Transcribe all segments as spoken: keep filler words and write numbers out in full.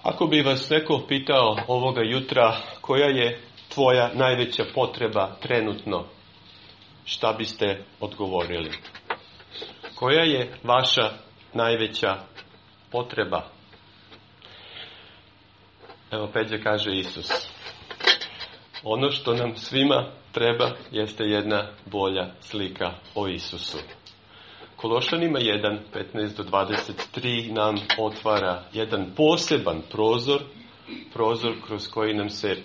Ako bi vas neko pitao ovoga jutra koja je tvoja najveća potreba trenutno, šta biste odgovorili? Koja je vaša najveća potreba? Evo Peđa kaže Isus. Ono što nam svima treba jeste jedna bolja slika o Isusu. Kološanima jedan, petnaest do dvadeset tri nam otvara jedan poseban prozor, prozor kroz koji nam se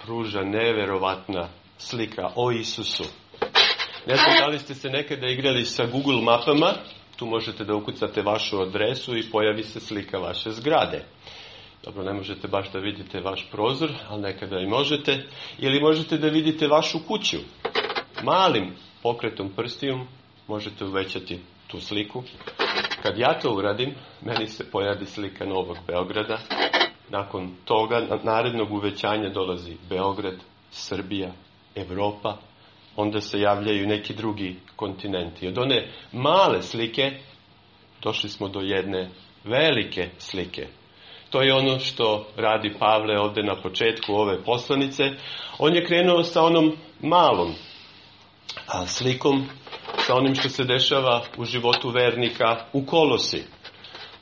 pruža neverovatna slika o Isusu. Ne znam da li ste se nekada igrali sa Google mapama, tu možete da ukucate vašu adresu i pojavi se slika vaše zgrade. Dobro, ne možete baš da vidite vaš prozor, ali nekada i možete. Ili možete da vidite vašu kuću. Malim pokretom prstiju možete uvećati tu sliku. Kad ja to uradim, meni se pojavi slika Novog Beograda. Nakon toga, narednog uvećanja dolazi Beograd, Srbija, Evropa. Onda se javljaju neki drugi kontinenti. Od one male slike došli smo do jedne velike slike. To je ono što radi Pavle ovdje na početku ove poslanice. On je krenuo sa onom malom slikom, sa onim što se dešava u životu vernika u Kolosi.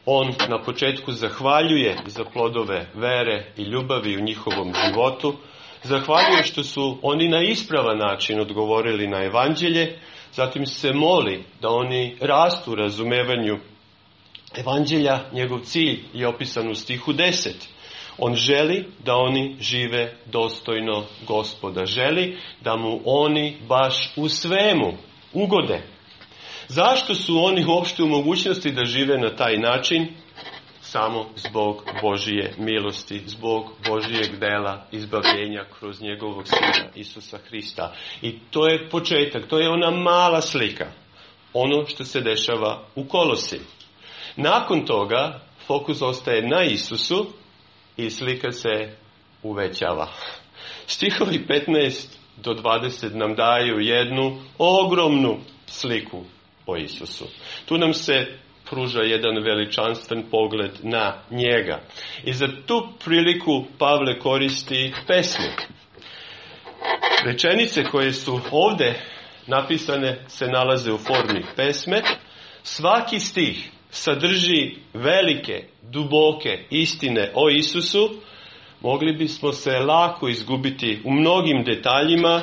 On na početku zahvaljuje za plodove vere i ljubavi u njihovom životu. Zahvaljuje što su oni na ispravan način odgovorili na evanđelje. Zatim se moli da oni rastu u razumevanju evanđelja. Njegov cilj je opisan u stihu deset. On želi da oni žive dostojno Gospoda. Želi da mu oni baš u svemu ugode. Zašto su oni uopšte u mogućnosti da žive na taj način? Samo zbog Božije milosti, zbog Božijeg dela izbavljenja kroz njegovog Sina Isusa Hrista. I to je početak, to je ona mala slika. Ono što se dešava u Kolosi. Nakon toga fokus ostaje na Isusu i slika se uvećava. Stihovi petnaest do dvadeset nam daju jednu ogromnu sliku o Isusu. Tu nam se pruža jedan veličanstven pogled na njega. I za tu priliku Pavle koristi pesmu. Rečenice koje su ovdje napisane se nalaze u formi pesme. Svaki stih sadrži velike, duboke istine o Isusu. Mogli bismo se lako izgubiti u mnogim detaljima,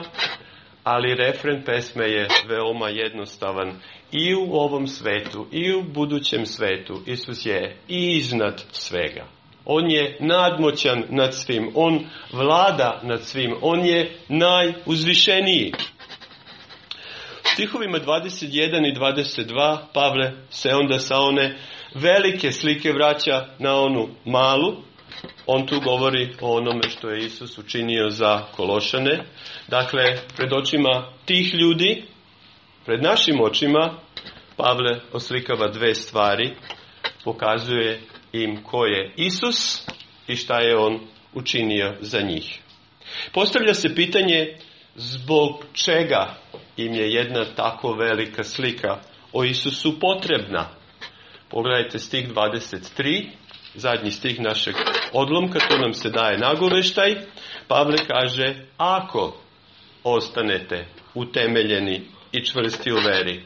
ali refren pesme je veoma jednostavan. I u ovom svetu, i u budućem svetu, Isus je iznad svega. On je nadmoćan nad svim, on vlada nad svim, on je najuzvišeniji. U stihovima dvadeset jedan i dvadeset dva Pavle se onda sa one velike slike vraća na onu malu. On tu govori o onome što je Isus učinio za Kološane. Dakle, pred očima tih ljudi, pred našim očima, Pavle oslikava dve stvari. Pokazuje im ko je Isus i šta je on učinio za njih. Postavlja se pitanje zbog čega im je jedna tako velika slika o Isusu potrebna. Pogledajte stih dvadeset tri, zadnji stih našeg odlomka, to nam se daje nagoveštaj. Pavle kaže, ako ostanete utemeljeni i čvrsti u veri,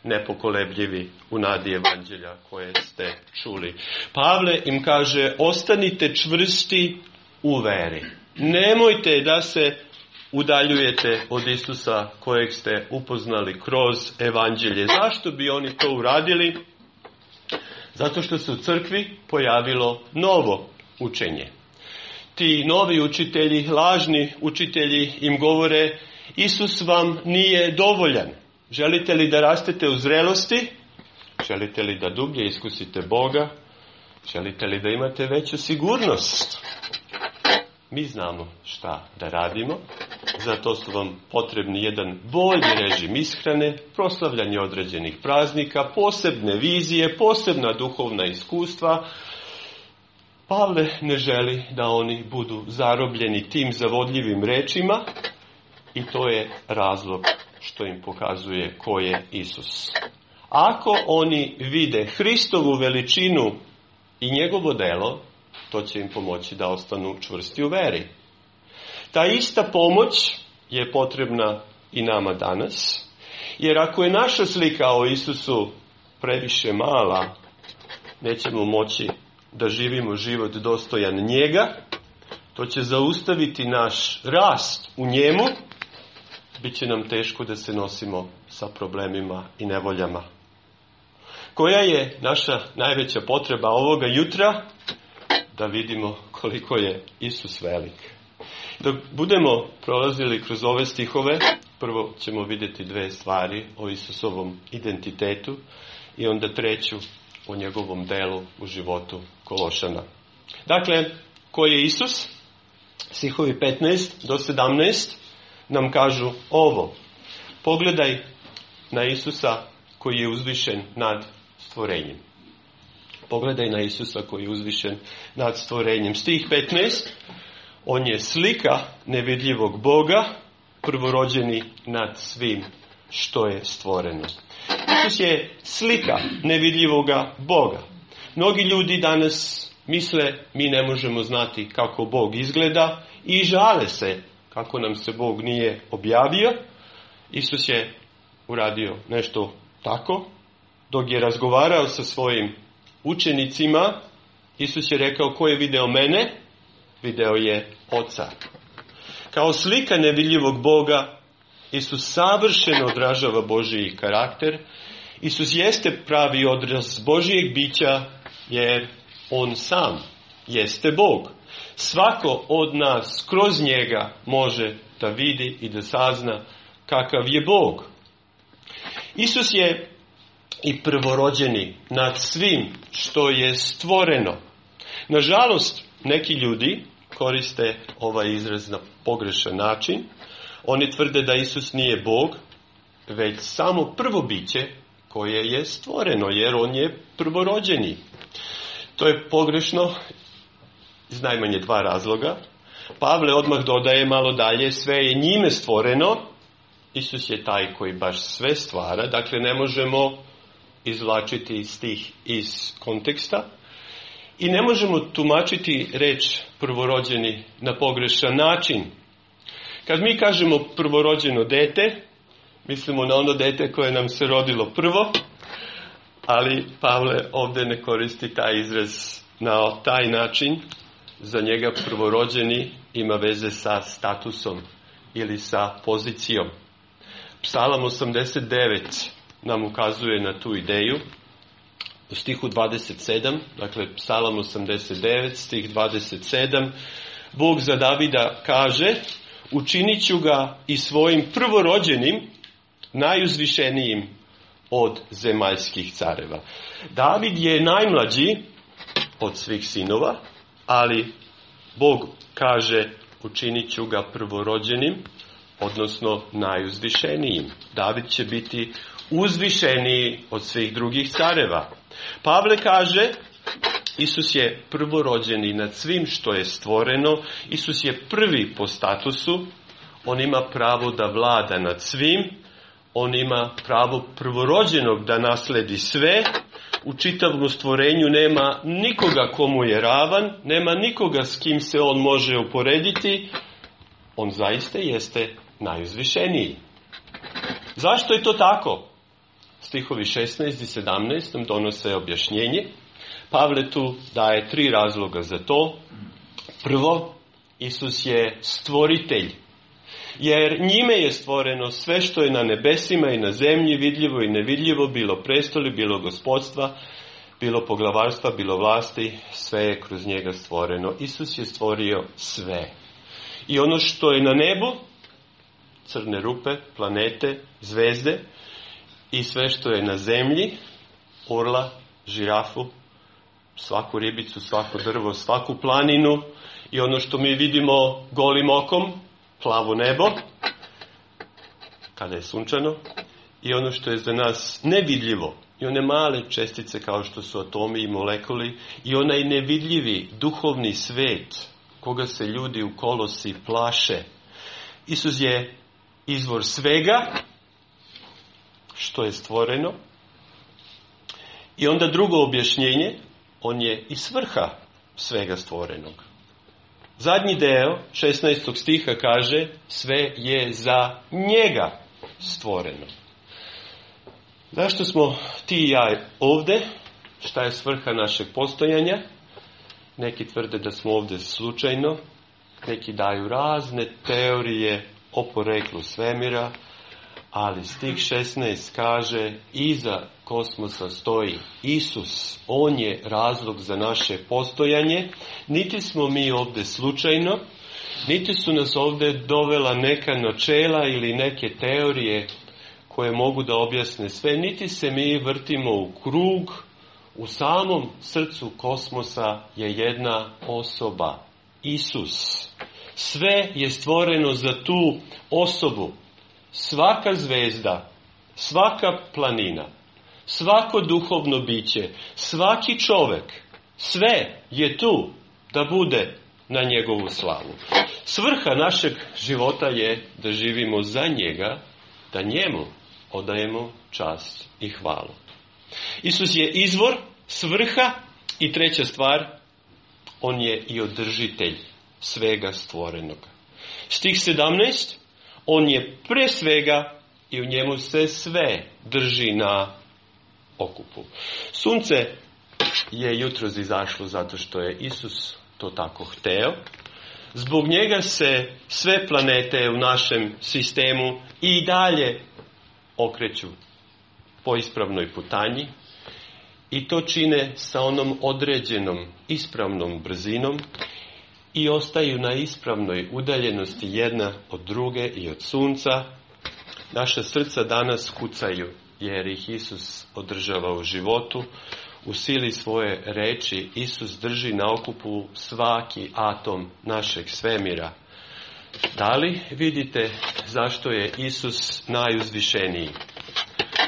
nepokolebljivi u nadi evanđelja koje ste čuli. Pavle im kaže, ostanite čvrsti u veri. Nemojte da se udaljujete od Isusa kojeg ste upoznali kroz evanđelje. Zašto bi oni to uradili? Zato što se u crkvi pojavilo novo učenje. Ti novi učitelji, lažni učitelji im govore, Isus vam nije dovoljan. Želite li da rastete u zrelosti? Želite li da dublje iskusite Boga? Želite li da imate veću sigurnost? Mi znamo šta da radimo. Zato su vam potrebni jedan bolji režim ishrane, proslavljanje određenih praznika, posebne vizije, posebna duhovna iskustva. Pavle ne želi da oni budu zarobljeni tim zavodljivim rečima i to je razlog što im pokazuje ko je Isus. Ako oni vide Hristovu veličinu i njegovo delo, to će im pomoći da ostanu čvrsti u veri. Ta ista pomoć je potrebna i nama danas, jer ako je naša slika o Isusu previše mala, nećemo moći da živimo život dostojan njega, to će zaustaviti naš rast u njemu, bit će nam teško da se nosimo sa problemima i nevoljama. Koja je naša najveća potreba ovoga jutra? Da vidimo koliko je Isus velik. Dok budemo prolazili kroz ove stihove, prvo ćemo vidjeti dve stvari o Isusovom identitetu i onda treću o njegovom delu u životu Kološana. Dakle, ko je Isus? Stihovi petnaest do sedamnaest nam kažu ovo. Pogledaj na Isusa koji je uzvišen nad stvorenjem. Pogledaj na Isusa koji je uzvišen nad stvorenjem. Stih petnaest. On je slika nevidljivog Boga, prvorođeni nad svim što je stvoreno. Isus je slika nevidljivoga Boga. Mnogi ljudi danas misle mi ne možemo znati kako Bog izgleda i žale se kako nam se Bog nije objavio. Isus je uradio nešto tako. Dok je razgovarao sa svojim učenicima, Isus je rekao, ko je video mene? Video je Oca. Kao slika nevidljivog Boga, Isus savršeno odražava Božji karakter. Isus jeste pravi odraz Božijeg bića, jer on sam jeste Bog. Svako od nas kroz njega može da vidi i da sazna kakav je Bog. Isus je i prvorođeni nad svim što je stvoreno. Nažalost, neki ljudi koriste ovaj izraz na pogrešan način. Oni tvrde da Isus nije Bog, već samo prvo biće koje je stvoreno, jer on je prvorođeni. To je pogrešno iz najmanje dva razloga. Pavle odmah dodaje malo dalje, sve je njime stvoreno. Isus je taj koji baš sve stvara, dakle ne možemo izvlačiti stih iz konteksta i ne možemo tumačiti reč prvorođeni na pogrešan način. Kad mi kažemo prvorođeno dete, mislimo na ono dete koje nam se rodilo prvo, ali Pavle ovdje ne koristi taj izraz na taj način. Za njega prvorođeni ima veze sa statusom ili sa pozicijom. Psalam osamdeset devet nam ukazuje na tu ideju. U stihu dvadeset sedam, dakle Psalam osamdeset devet, stih dvadeset sedam, Bog za Davida kaže, učinit ću ga i svojim prvorođenim, najuzvišenijim od zemaljskih careva. David je najmlađi od svih sinova, ali Bog kaže učinit ću ga prvorođenim, odnosno najuzvišenijim. David će biti uzvišeniji od svih drugih careva. Pavle kaže, Isus je prvorođeni nad svim što je stvoreno, Isus je prvi po statusu, on ima pravo da vlada nad svim, on ima pravo prvorođenog da nasledi sve, u čitavom stvorenju nema nikoga komu je ravan, nema nikoga s kim se on može uporediti, on zaista jeste najuzvišeniji. Zašto je to tako? Stihovi šesnaest i sedamnaest nam donose objašnjenje. Pavle tu daje tri razloga za to. Prvo, Isus je stvoritelj, jer njime je stvoreno sve što je na nebesima i na zemlji, vidljivo i nevidljivo, bilo prestoli, bilo gospodstva, bilo poglavarstva, bilo vlasti, sve je kroz njega stvoreno. Isus je stvorio sve. I ono što je na nebu, crne rupe, planete, zvezde, i sve što je na zemlji, orla, žirafu, svaku ribicu, svako drvo, svaku planinu, i ono što mi vidimo golim okom, plavo nebo, kada je sunčano, i ono što je za nas nevidljivo, i one male čestice kao što su atomi i molekuli, i onaj nevidljivi duhovni svet, koga se ljudi u Kolosi plaše. Isus je izvor svega što je stvoreno. I onda drugo objašnjenje, on je i svrha svega stvorenog. Zadnji deo šesnaestog stiha kaže sve je za njega stvoreno. Zašto smo ti i ja ovdje? Šta je svrha našeg postojanja? Neki tvrde da smo ovdje slučajno, neki daju razne teorije o poreklu svemira, ali stih šesnaest kaže iza kosmosa stoji Isus, on je razlog za naše postojanje, niti smo mi ovdje slučajno, niti su nas ovdje dovela neka načela ili neke teorije koje mogu da objasne sve, niti se mi vrtimo u krug. U samom srcu kosmosa je jedna osoba, Isus. Sve je stvoreno za tu osobu. Svaka zvezda, svaka planina, svako duhovno biće, svaki čovjek, sve je tu da bude na njegovu slavu. Svrha našeg života je da živimo za njega, da njemu odajemo čast i hvalu. Isus je izvor, svrha i treća stvar, on je i održitelj svega stvorenog. Stih sedamnaest, on je pre svega i u njemu se sve drži na okupu. Sunce je jutros izašlo zato što je Isus to tako hteo. Zbog njega se sve planete u našem sistemu i dalje okreću po ispravnoj putanji i to čine sa onom određenom ispravnom brzinom i ostaju na ispravnoj udaljenosti jedna od druge i od sunca. Naša srca danas kucaju jer ih Isus održava u životu. U sili svoje reči Isus drži na okupu svaki atom našeg svemira. Da li vidite zašto je Isus najuzvišeniji?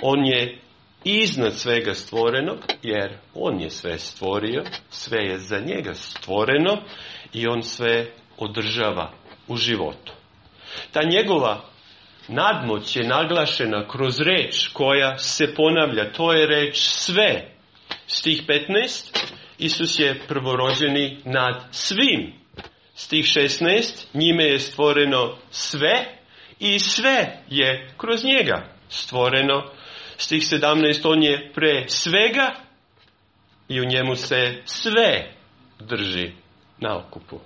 On je iznad svega stvorenog, jer on je sve stvorio, sve je za njega stvoreno i on sve održava u životu. Ta njegova nadmoć je naglašena kroz reč koja se ponavlja, to je reč sve. Stih petnaest, Isus je prvorođeni nad svim. Stih šesnaest, njime je stvoreno sve i sve je kroz njega stvoreno. Stih sedamnaest, on je pre svega i u njemu se sve drži na okupu.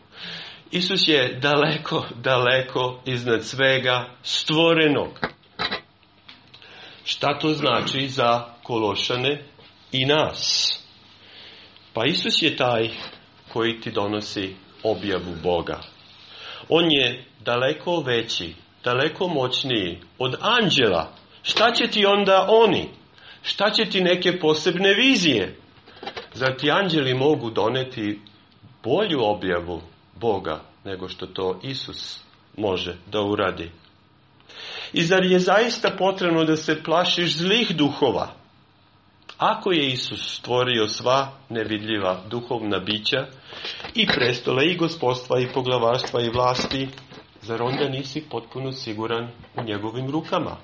Isus je daleko, daleko iznad svega stvorenog. Šta to znači za Kološane i nas? Pa Isus je taj koji ti donosi objavu Boga. On je daleko veći, daleko moćniji od anđela. Šta će ti onda oni? Šta će ti neke posebne vizije? Zar ti anđeli mogu doneti bolju objavu Boga nego što to Isus može da uradi? I zar je zaista potrebno da se plašiš zlih duhova? Ako je Isus stvorio sva nevidljiva duhovna bića i prestole i gospodstva i poglavarstva i vlasti, zar onda nisi potpuno siguran u njegovim rukama?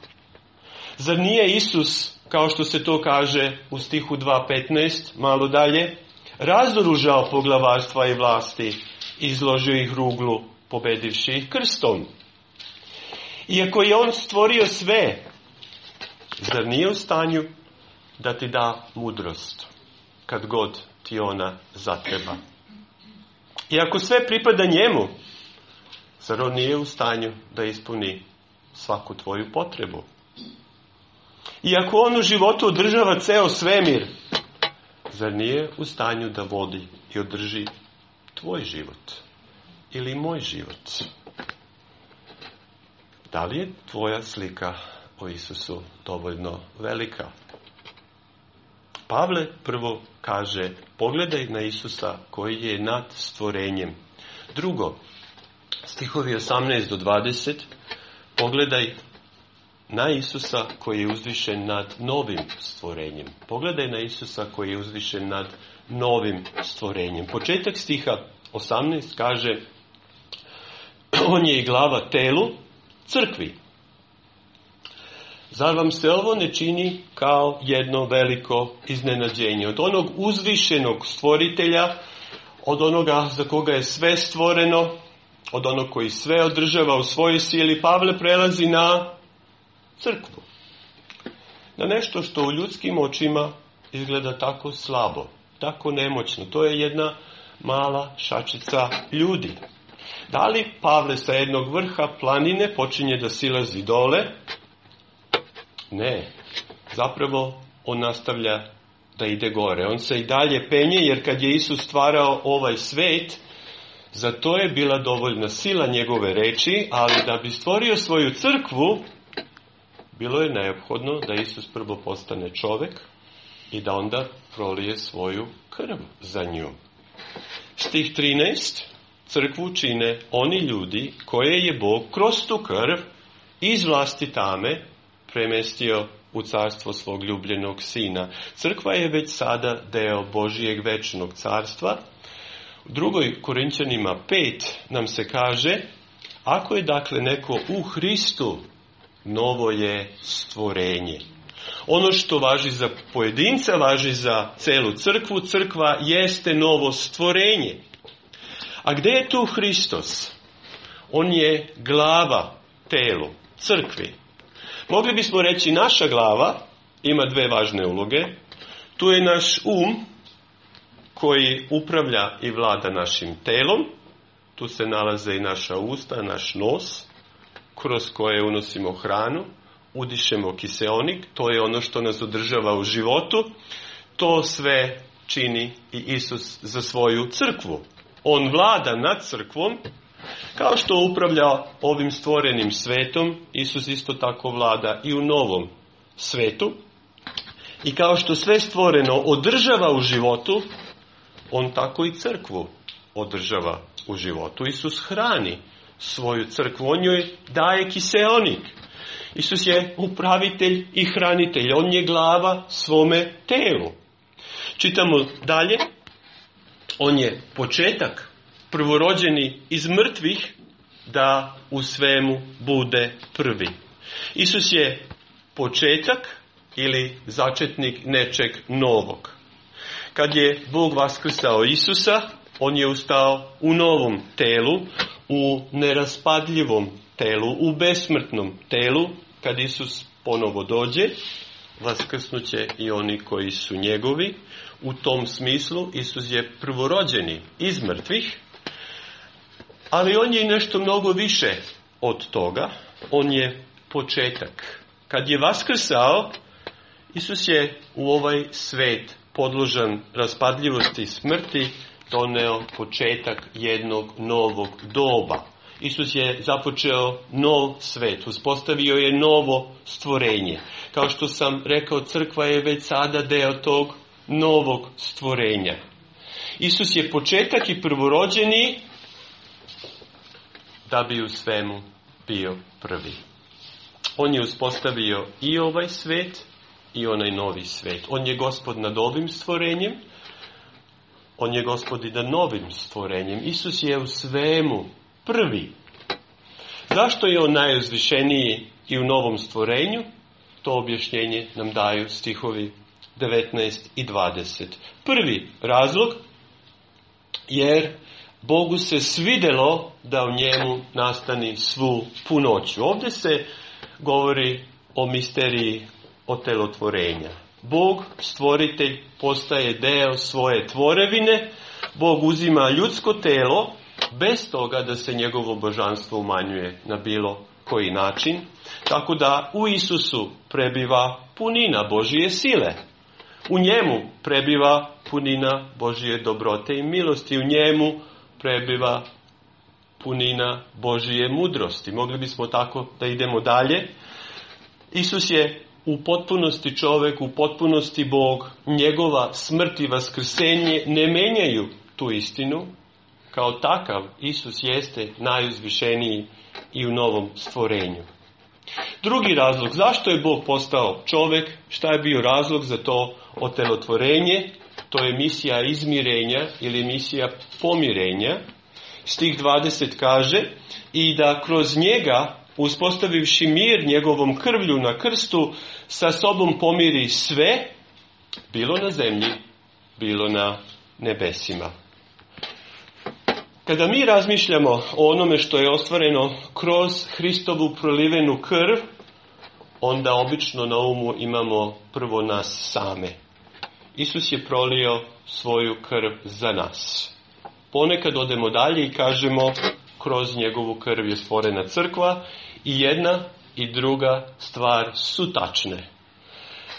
Zar nije Isus, kao što se to kaže u stihu dva petnaest, malo dalje, razoružao poglavarstva i vlasti, izložio ih ruglu, pobedivši ih krstom? Iako je on stvorio sve, zar nije u stanju da ti da mudrost, kad god ti ona zatreba? I ako sve pripada njemu, zar on nije u stanju da ispuni svaku tvoju potrebu? I ako on u životu održava ceo svemir, zar nije u stanju da vodi i održi tvoj život ili moj život? Da li je tvoja slika o Isusu dovoljno velika? Pavle prvo kaže, pogledaj na Isusa koji je nad stvorenjem. Drugo, stihovi osamnaest do dvadeset, pogledaj na Isusa koji je uzvišen nad novim stvorenjem. Pogledaj na Isusa koji je uzvišen nad novim stvorenjem. Početak stiha osamnaest kaže, on je i glava telu, crkvi. Zar vam se ovo ne čini kao jedno veliko iznenađenje? Od onog uzvišenog stvoritelja, od onoga za koga je sve stvoreno, od onog koji sve održava u svojoj sili, Pavle prelazi na crkvu. Na nešto što u ljudskim očima izgleda tako slabo, tako nemoćno. To je jedna mala šačica ljudi. Da li Pavle sa jednog vrha planine počinje da silazi dole? Ne. Zapravo on nastavlja da ide gore. On se i dalje penje, jer kad je Isus stvarao ovaj svet, za to je bila dovoljna sila njegove reči, ali da bi stvorio svoju crkvu, bilo je neophodno da Isus prvo postane čovek i da onda prolije svoju krv za nju. Stih trinaest. Crkvu čine oni ljudi koje je Bog kroz tu krv iz vlasti tame premestio u carstvo svog ljubljenog sina. Crkva je već sada deo Božijeg večnog carstva. U drugoj Korinćanima pet nam se kaže, ako je dakle neko u Hristu, novo je stvorenje. Ono što važi za pojedinca, važi za celu crkvu. Crkva jeste novo stvorenje. A gdje je tu Hristos? On je glava telu, crkvi. Mogli bismo reći naša glava ima dve važne uloge. Tu je naš um koji upravlja i vlada našim telom. Tu se nalaze i naša usta, naš nos, kroz koje unosimo hranu, udišemo kiseonik. To je ono što nas održava u životu. To sve čini i Isus za svoju crkvu. On vlada nad crkvom, kao što upravlja ovim stvorenim svetom, Isus isto tako vlada i u novom svetu. I kao što sve stvoreno održava u životu, on tako i crkvu održava u životu. Isus hrani svoju crkvu, on joj daje kiseonik. Isus je upravitelj i hranitelj, on je glava svome telu. Čitamo dalje. On je početak, prvorođeni iz mrtvih, da u svemu bude prvi. Isus je početak ili začetnik nečeg novog. Kad je Bog vaskrsao Isusa, on je ustao u novom telu, u neraspadljivom telu, u besmrtnom telu. Kad Isus ponovo dođe, vaskrsnuće i oni koji su njegovi. U tom smislu Isus je prvorođeni iz mrtvih, ali on je i nešto mnogo više od toga. On je početak. Kad je vaskrsao, Isus je u ovaj svet podložan raspadljivosti i smrti doneo početak jednog novog doba. Isus je započeo nov svet, uspostavio je novo stvorenje. Kao što sam rekao, crkva je već sada deo tog novog stvorenja. Isus je početak i prvorođeni da bi u svemu bio prvi. On je uspostavio i ovaj svet i onaj novi svet. On je gospod nad ovim stvorenjem, on je gospod i nad novim stvorenjem. Isus je u svemu prvi. Zašto je on najuzvišeniji i u novom stvorenju? To objašnjenje nam daju stihovi devetnaest i dvadeset. Prvi razlog, jer Bogu se svidelo da u njemu nastani svu punoću. Ovdje se govori o misteriji otelotvorenja. Bog, stvoritelj, postaje deo svoje tvorevine. Bog uzima ljudsko telo bez toga da se njegovo božanstvo umanjuje na bilo koji način. Tako da u Isusu prebiva punina Božije sile. U njemu prebiva punina Božije dobrote i milosti. U njemu prebiva punina Božije mudrosti. Mogli bismo tako da idemo dalje. Isus je u potpunosti čovjek, u potpunosti Bog. Njegova smrt i vaskrsenje ne menjaju tu istinu. Kao takav Isus jeste najuzvišeniji i u novom stvorenju. Drugi razlog, zašto je Bog postao čovjek, šta je bio razlog za to otelotvorenje? To je misija izmirenja ili misija pomirenja. Stih dvadeset kaže, i da kroz njega, uspostavivši mir njegovom krvlju na krstu, sa sobom pomiri sve, bilo na zemlji, bilo na nebesima. Kada mi razmišljamo o onome što je ostvareno kroz Hristovu prolivenu krv, onda obično na umu imamo prvo nas same. Isus je prolio svoju krv za nas. Ponekad odemo dalje i kažemo kroz njegovu krv je stvorena crkva i jedna i druga stvar su tačne.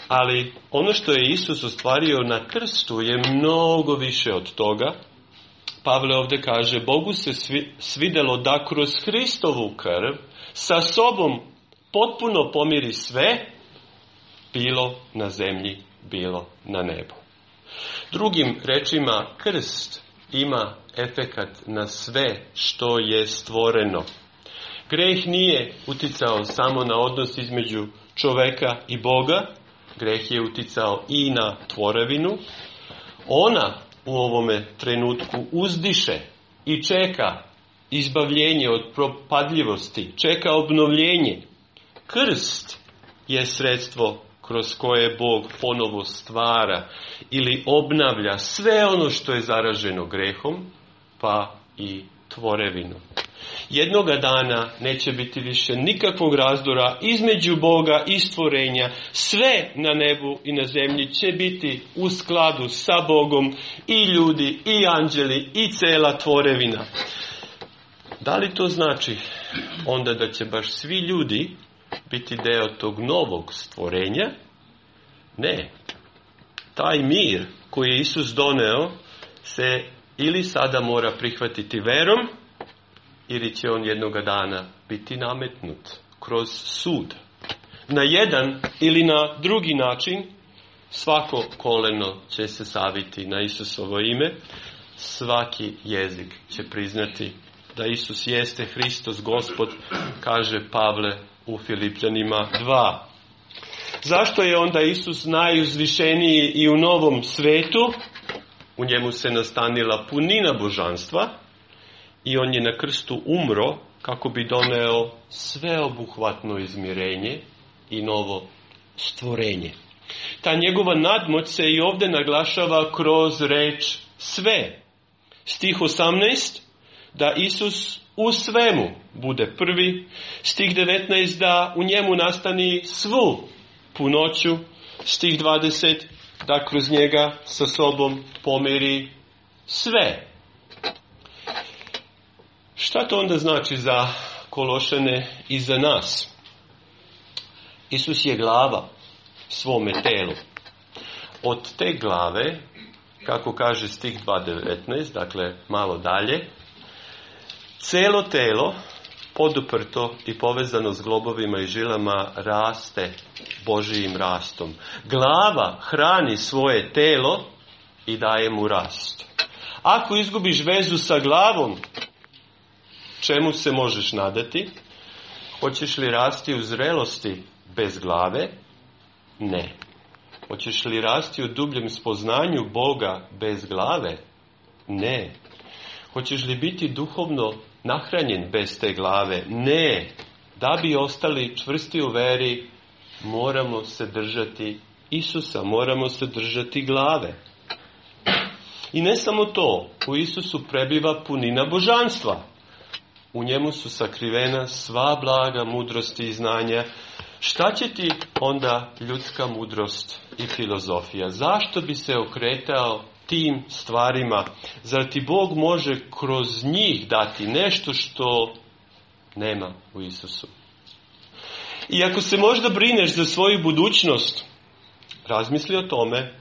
Ali ono što je Isus ostvario na krstu je mnogo više od toga. Pavle ovdje kaže, Bogu se svidjelo da kroz Hristovu krv sa sobom potpuno pomiri sve, bilo na zemlji, bilo na nebu. Drugim rečima, krst ima efekat na sve što je stvoreno. Greh nije uticao samo na odnos između čoveka i Boga, greh je uticao i na tvorevinu. Ona u ovome trenutku uzdiše i čeka izbavljenje od propadljivosti, čeka obnovljenje. Krst je sredstvo kroz koje Bog ponovo stvara ili obnavlja sve ono što je zaraženo grehom, pa i tvorevinu. Jednoga dana neće biti više nikakvog razdora između Boga i stvorenja. Sve na nebu i na zemlji će biti u skladu sa Bogom, i ljudi, i anđeli, i cela tvorevina. Da li to znači onda da će baš svi ljudi biti deo tog novog stvorenja? Ne. Taj mir koji je Isus doneo se ili sada mora prihvatiti verom, ili će on jednoga dana biti nametnut kroz sud. Na jedan ili na drugi način svako koleno će se saviti na Isusovo ime, svaki jezik će priznati da Isus jeste Hristos Gospod, kaže Pavle u Filipljanima dva. Zašto je onda Isus najuzvišeniji i u novom svetu? U njemu se nastanila punina božanstva i on je na krstu umro kako bi doneo sveobuhvatno izmirenje i novo stvorenje. Ta njegova nadmoć se i ovdje naglašava kroz reč sve. Stih osamnaest, da Isus u svemu bude prvi. Stih devetnaest, da u njemu nastani svu punoću. Stih dvadeset, da kroz njega sa sobom pomiri sve. Šta to onda znači za Kološane i za nas? Isus je glava svome telu. Od te glave, kako kaže stih dva devetnaest, dakle malo dalje, celo telo, poduprto i povezano s globovima i žilama, raste Božijim rastom. Glava hrani svoje telo i daje mu rast. Ako izgubiš vezu sa glavom, čemu se možeš nadati? Hoćeš li rasti u zrelosti bez glave? Ne. Hoćeš li rasti u dubljem spoznanju Boga bez glave? Ne. Hoćeš li biti duhovno nahranjen bez te glave? Ne. Da bi ostali čvrsti u veri, moramo se držati Isusa, moramo se držati glave. I ne samo to, u Isusu prebiva punina božanstva. U njemu su sakrivena sva blaga mudrosti i znanja. Šta će ti onda ljudska mudrost i filozofija? Zašto bi se okretao tim stvarima? Zar ti Bog može kroz njih dati nešto što nema u Isusu? I ako se možda brineš za svoju budućnost, razmisli o tome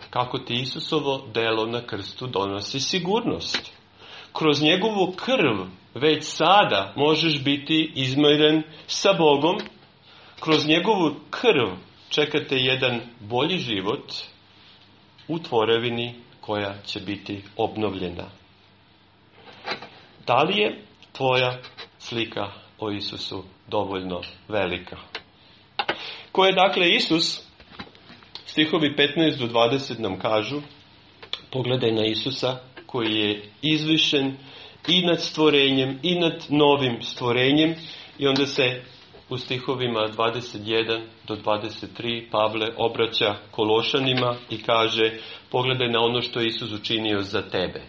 kako ti Isusovo delo na krstu donosi sigurnost. Kroz njegovu krv već sada možeš biti izmiren sa Bogom. Kroz njegovu krv čekate jedan bolji život u tvorevini koja će biti obnovljena. Da li je tvoja slika o Isusu dovoljno velika? Ko je dakle Isus? Stihovi petnaest do dvadeset nam kažu, pogledaj na Isusa koji je izvišen i nad stvorenjem i nad novim stvorenjem. I onda se u stihovima dvadeset jedan do dvadeset tri Pavle obraća Kološanima i kaže, pogledaj na ono što je Isus učinio za tebe.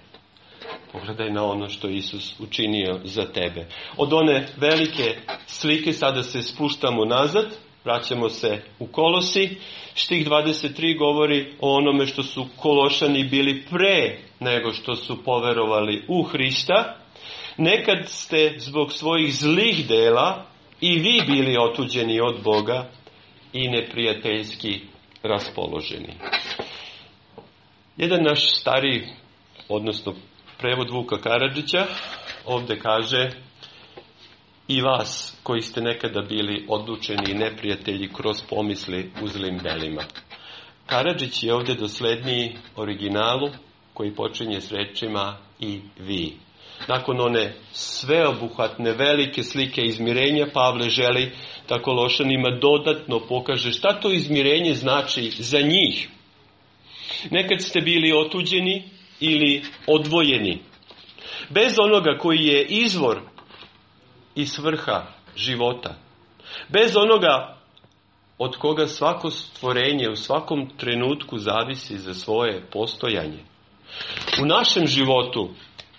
Pogledaj na ono što je Isus učinio za tebe. Od one velike slike sada se spuštamo nazad, vraćamo se u Kolosi. Stih dvadeset tri govori o onome što su Kološani bili pre nego što su poverovali u Hrista. Nekad ste zbog svojih zlih dela i vi bili otuđeni od Boga i neprijateljski raspoloženi. Jedan naš stari, odnosno prevod Vuka Karadžića, ovdje kaže: i vas koji ste nekada bili odlučeni i neprijatelji kroz pomisli u zlim delima. Karadžić je ovdje dosledniji originalu koji počinje s rečima i vi. Nakon one sveobuhvatne velike slike izmirenja, Pavle želi da Kološanima dodatno pokaže šta to izmirenje znači za njih. Nekad ste bili otuđeni ili odvojeni. Bez onoga koji je izvor i svrha života. Bez onoga od koga svako stvorenje u svakom trenutku zavisi za svoje postojanje. U našem životu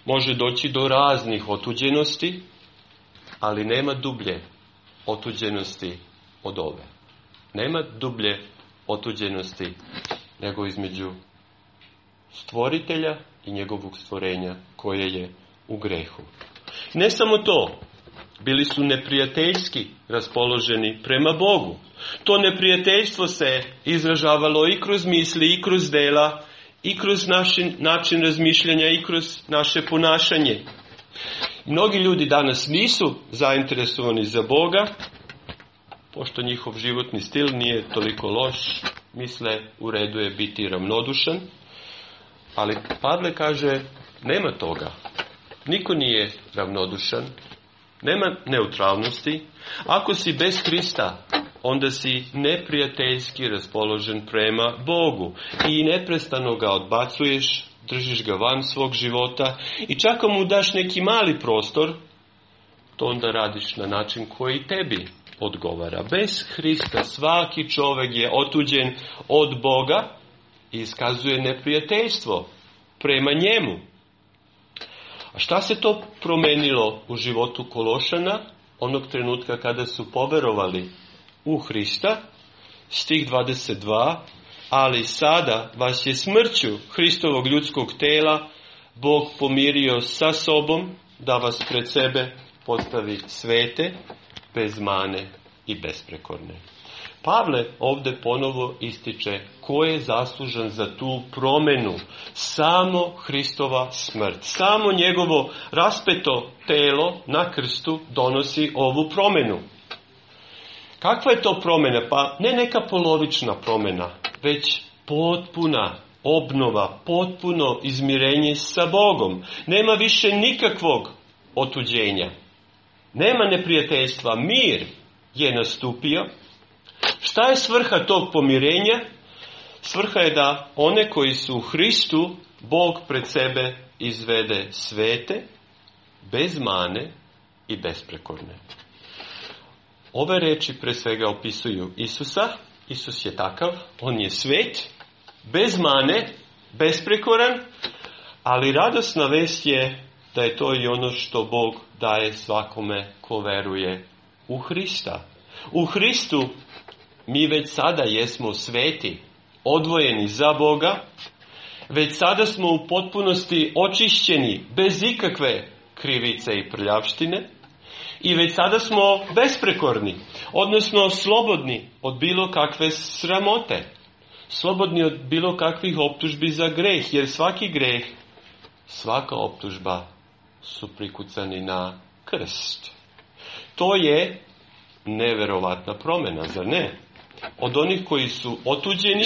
može doći do raznih otuđenosti, ali nema dublje otuđenosti od ove. Nema dublje otuđenosti nego između stvoritelja i njegovog stvorenja koje je u grehu. Ne samo to, bili su neprijateljski raspoloženi prema Bogu. To neprijateljstvo se izražavalo i kroz misli, i kroz dela, i kroz naš način razmišljanja, i kroz naše ponašanje. Mnogi ljudi danas nisu zainteresovani za Boga, pošto njihov životni stil nije toliko loš, misle u redu je biti ravnodušan, ali Pavle kaže nema toga. Niko nije ravnodušan, nema neutralnosti. Ako si bez Krista, onda si neprijateljski raspoložen prema Bogu i neprestano ga odbacuješ, držiš ga van svog života i čak ako mu daš neki mali prostor, to onda radiš na način koji tebi odgovara. Bez Hrista svaki čovjek je otuđen od Boga i iskazuje neprijateljstvo prema njemu. A šta se to promenilo u životu Kološana onog trenutka kada su poverovali u Hrista? Stih dvadeset dva. Ali sada vas je smrću Hristovog ljudskog tela Bog pomirio sa sobom da vas pred sebe postavi svete, bez mane i besprekorne. Pavle ovdje ponovo ističe ko je zaslužan za tu promjenu. Samo Hristova smrt. Samo njegovo raspeto telo na krstu donosi ovu promjenu. Kakva je to promjena? Pa ne neka polovična promjena, već potpuna obnova, potpuno izmirenje sa Bogom. Nema više nikakvog otuđenja. Nema neprijateljstva. Mir je nastupio. Šta je svrha tog pomirenja? Svrha je da one koji su u Hristu Bog pred sebe izvede svete, bez mane i besprekorne. Ove reči pre svega opisuju Isusa. Isus je takav, on je svet, bez mane, besprekoran, ali radosna vest je da je to i ono što Bog daje svakome ko veruje u Hrista. U Hristu mi već sada jesmo sveti, odvojeni za Boga, već sada smo u potpunosti očišćeni, bez ikakve krivice i prljavštine, i već sada smo besprekorni, odnosno slobodni od bilo kakve sramote, slobodni od bilo kakvih optužbi za greh, jer svaki greh, svaka optužba su prikucani na krst. To je neverovatna promjena, zar ne? Od onih koji su otuđeni,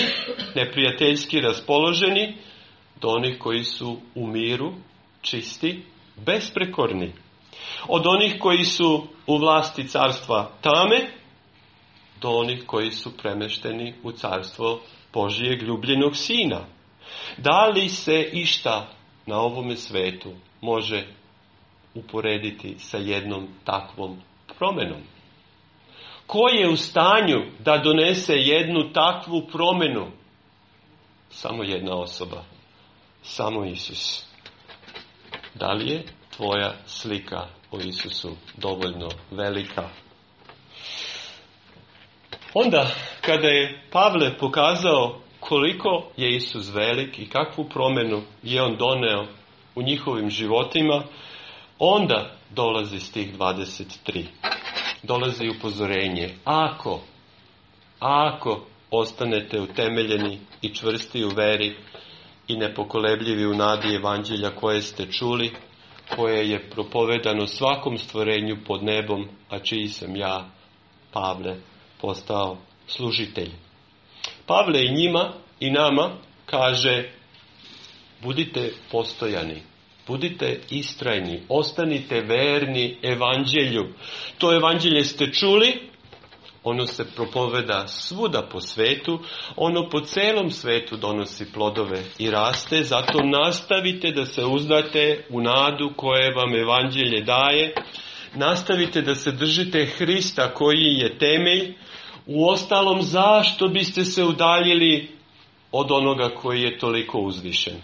neprijateljski raspoloženi, do onih koji su u miru, čisti, besprekorni. Od onih koji su u vlasti carstva tame, do onih koji su premešteni u carstvo Božijeg ljubljenog Sina. Da li se išta na ovome svetu može uporediti sa jednom takvom promjenom? Ko je u stanju da donese jednu takvu promjenu? Samo jedna osoba. Samo Isus. Da li je tvoja slika o Isusu dovoljno velika? Onda, kada je Pavle pokazao koliko je Isus velik i kakvu promjenu je on doneo u njihovim životima, onda dolazi stih dvadeset tri. Dolazi upozorenje. Ako, ako ostanete utemeljeni i čvrsti u veri i nepokolebljivi u nadi evanđelja koje ste čuli, koje je propovedano svakom stvorenju pod nebom, a čiji sam ja, Pavle, postao služitelj. Pavle i njima i nama kaže: budite postojani, budite istrajni, ostanite verni evanđelju. To evanđelje ste čuli, ono se propoveda svuda po svetu, ono po celom svetu donosi plodove i raste, zato nastavite da se uzdate u nadu koje vam evanđelje daje, nastavite da se držite Hrista koji je temelj. Uostalom, zašto biste se udaljili od onoga koji je toliko uzvišen?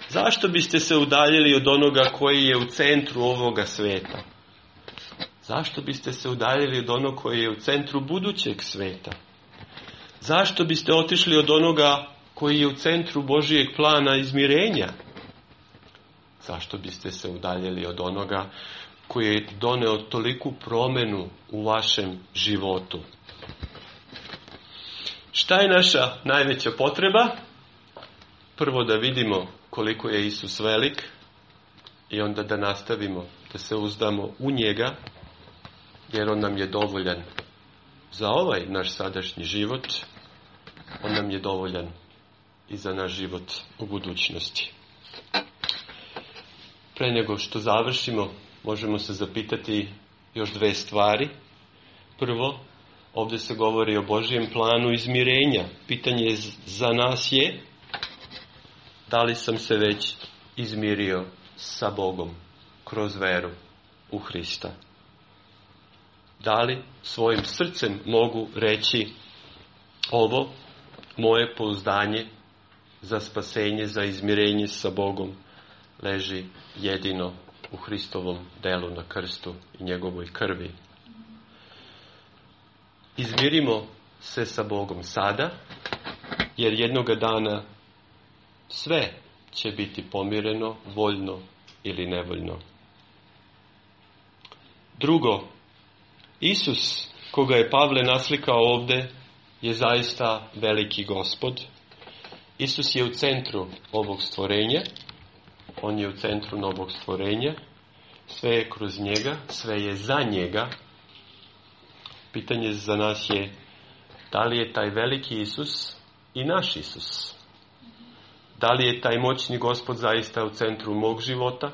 Zašto biste se udaljili od onoga koji je u centru ovoga sveta? Zašto biste se udaljili od onoga koji je u centru budućeg sveta? Zašto biste otišli od onoga koji je u centru Božijeg plana izmirenja? Zašto biste se udaljili od onoga koji je doneo toliku promjenu u vašem životu? Šta je naša najveća potreba? Prvo da vidimo koliko je Isus velik i onda da nastavimo da se uzdamo u njega, jer on nam je dovoljan za ovaj naš sadašnji život, on nam je dovoljan i za naš život u budućnosti. Pre nego što završimo, možemo se zapitati još dve stvari. Prvo, ovdje se govori o Božijem planu izmirenja. Pitanje za nas je: da li sam se već izmirio sa Bogom kroz veru u Hrista? Da li svojim srcem mogu reći: ovo moje pouzdanje za spasenje, za izmirenje sa Bogom leži jedino u Hristovom delu na krstu i njegovoj krvi? Izmirimo se sa Bogom sada, jer jednoga dana sve će biti pomireno, voljno ili nevoljno. Drugo, Isus, koga je Pavle naslikao ovdje, je zaista veliki Gospod. Isus je u centru ovog stvorenja, on je u centru novog stvorenja, sve je kroz njega, sve je za njega. Pitanje za nas je: da li je taj veliki Isus i naš Isus? Da li je taj moćni Gospod zaista u centru mog života?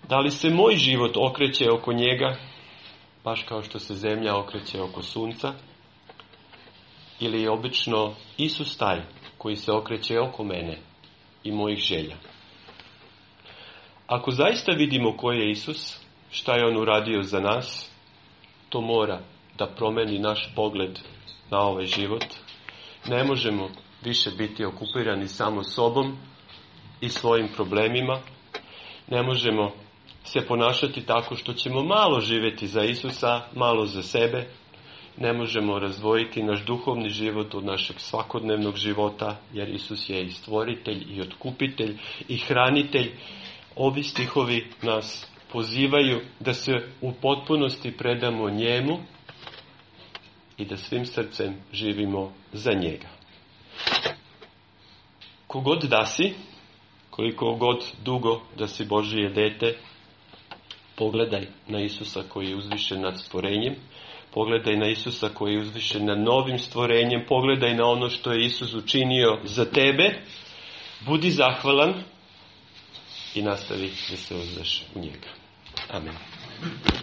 Da li se moj život okreće oko njega, baš kao što se zemlja okreće oko sunca? Ili je obično Isus taj koji se okreće oko mene i mojih želja? Ako zaista vidimo ko je Isus, šta je on uradio za nas, to mora da promeni naš pogled na ovaj život. Ne možemo više biti okupirani samo sobom i svojim problemima. Ne možemo se ponašati tako što ćemo malo živjeti za Isusa, malo za sebe. Ne možemo razdvojiti naš duhovni život od našeg svakodnevnog života, jer Isus je i stvoritelj i otkupitelj i hranitelj. Ovi stihovi nas pozivaju da se u potpunosti predamo njemu i da svim srcem živimo za njega. Kogod da si, koliko god dugo da si Božije dete, pogledaj na Isusa koji je uzvišen nad stvorenjem, pogledaj na Isusa koji je uzvišen nad novim stvorenjem, pogledaj na ono što je Isus učinio za tebe, budi zahvalan i nastavi da se uzdaš u njega. Amen.